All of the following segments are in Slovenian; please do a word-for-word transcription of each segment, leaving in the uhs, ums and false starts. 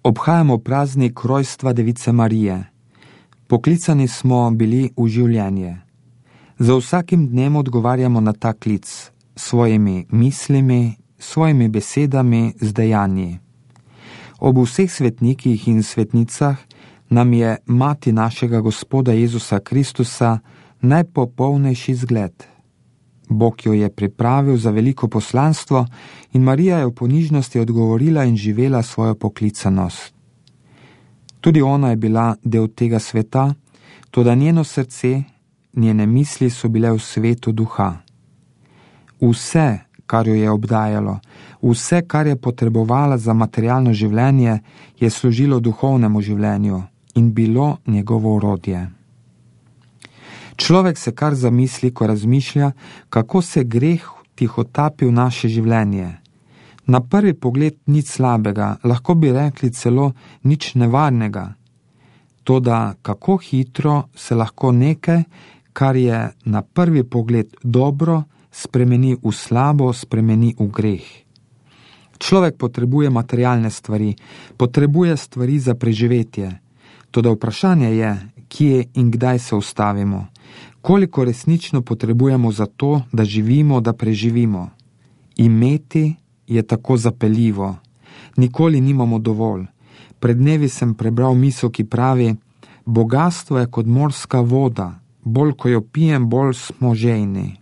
Obhajamo praznik rojstva Device Marije. Poklicani smo bili v življenje. Za vsakim dnem odgovarjamo na ta klic s svojimi mislimi, svojimi besedami, z dejanji. Ob vseh svetnikih in svetnicah nam je mati našega Gospoda Jezusa Kristusa najpopolnejši zgled. Bog jo je pripravil za veliko poslanstvo in Marija je v ponižnosti odgovorila in živela svojo poklicanost. Tudi ona je bila del tega sveta, toda njeno srce, njene misli so bile v svetu duha. Vse, kar jo je obdajalo, vse, kar je potrebovala za materialno življenje, je služilo duhovnemu življenju in bilo njegovo orodje. Človek se kar zamisli, ko razmišlja, kako se greh tihotapi v naše življenje. Na prvi pogled nič slabega, lahko bi rekli celo nič nevarnega. Toda kako hitro se lahko nekaj, kar je na prvi pogled dobro, spremeni v slabo, spremeni v greh. Človek potrebuje materialne stvari, potrebuje stvari za preživetje. Toda vprašanje je, kje in kdaj se ustavimo. Koliko resnično potrebujemo za to, da živimo, da preživimo. Imeti je tako zapeljivo. Nikoli nimamo dovolj. Pred dnevi sem prebral misel, ki pravi: bogastvo je kot morska voda, bolj ko jo pijem, bolj smo žejni.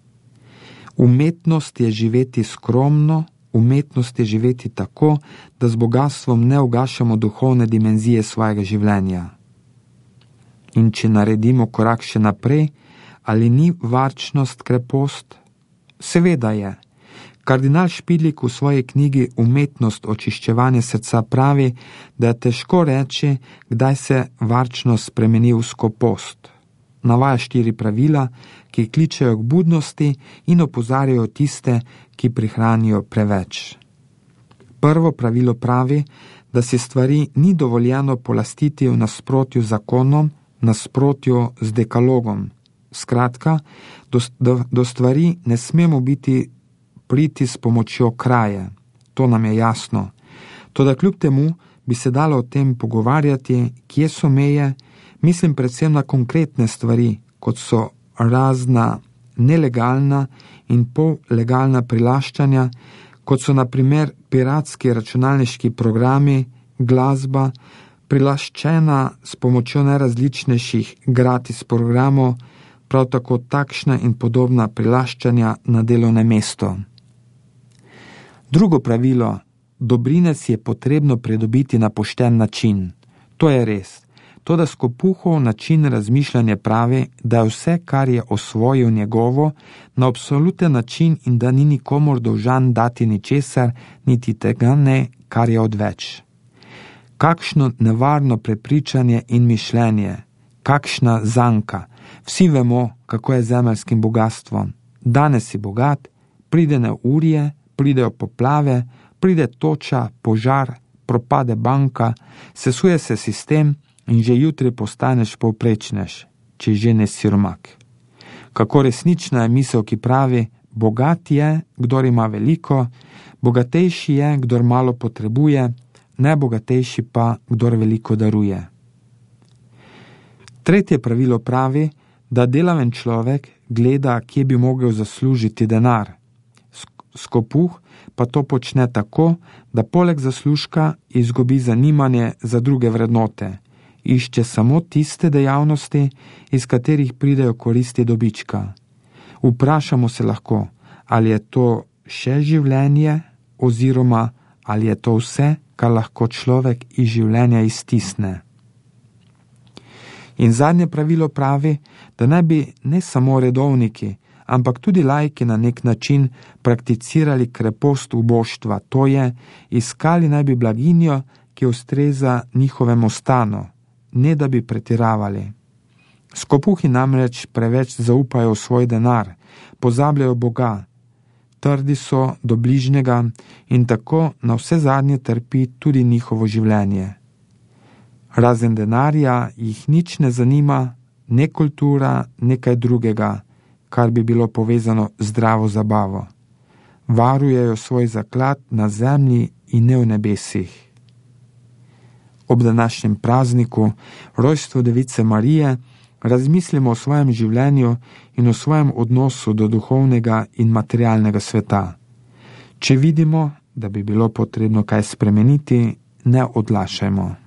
Umetnost je živeti skromno, umetnost je živeti tako, da z bogatstvom ne ugašamo duhovne dimenzije svojega življenja. In če naredimo korak še naprej, ali ni varčnost krepost? Seveda je. Kardinal Špidlik v svoji knjigi Umetnost očiščevanja srca pravi, da je težko reči, kdaj se varčnost spremeni v skopost. Navaja štiri pravila, ki kličejo k budnosti in opozarjajo tiste, ki prihranijo preveč. Prvo pravilo pravi, da si stvari ni dovoljeno polastiti v nasprotju z zakonom, nasprotju z dekalogom. Skratka, do, do, do stvari ne smemo biti priti s pomočjo kraje. To nam je jasno. Toda kljub temu bi se dalo o tem pogovarjati, kje so meje, mislim predvsem na konkretne stvari, kot so razna nelegalna in pollegalna prilaščanja, kot so na primer piratski računalniški programi, glasba, prilaščena s pomočjo najrazličnejših gratis programov, prav tako takšna in podobna prilaščanja na delovnem mestu. Drugo pravilo: dobrine si je potrebno pridobiti na pošten način. To je res. Toda Skopuhov način razmišljanja pravi, da je vse, kar je osvojil njegovo, na absoluten način in da ni nikomor dolžan dati ničesar, niti tega ne, kar je odveč. Kakšno nevarno prepričanje in mišljenje, kakšna zanka. Vsi vemo, kako je z zemeljskim bogatstvom. Danes si bogat, pride neurje, pridejo poplave, pride toča, požar, propade banka, sesuje se sistem in že jutri postaneš povprečnež, če že ne siromak. Kako resnična je misel, ki pravi: bogat je, kdor ima veliko, bogatejši je, kdor malo potrebuje, najbogatejši pa, kdor veliko daruje. Tretje pravilo pravi, da delaven človek gleda, kje bi mogel zaslužiti denar. Skopuh pa to počne tako, da poleg zaslužka izgubi zanimanje za druge vrednote. Išče samo tiste dejavnosti, iz katerih pridejo koristi dobička. Vprašamo se lahko, ali je to še življenje oziroma ali je to vse, kar lahko človek iz življenja iztisne. In zadnje pravilo pravi, da naj bi ne samo redovniki, ampak tudi laiki na nek način prakticirali krepost uboštva, to je, iskali naj bi blaginjo, ki ustreza njihovemu stanu, ne da bi pretiravali. Skopuhi namreč preveč zaupajo v svoj denar, pozabljajo Boga, trdi so do bližnjega in tako na vse zadnje trpi tudi njihovo življenje. Razen denarja jih nič ne zanima, ne kultura, nekaj drugega, kar bi bilo povezano z zdravo zabavo. Varujejo svoj zaklad na zemlji in ne v nebesih. Ob današnjem prazniku, rojstvu Device Marije, razmislimo o svojem življenju in o svojem odnosu do duhovnega in materialnega sveta. Če vidimo, da bi bilo potrebno kaj spremeniti, ne odlašajmo.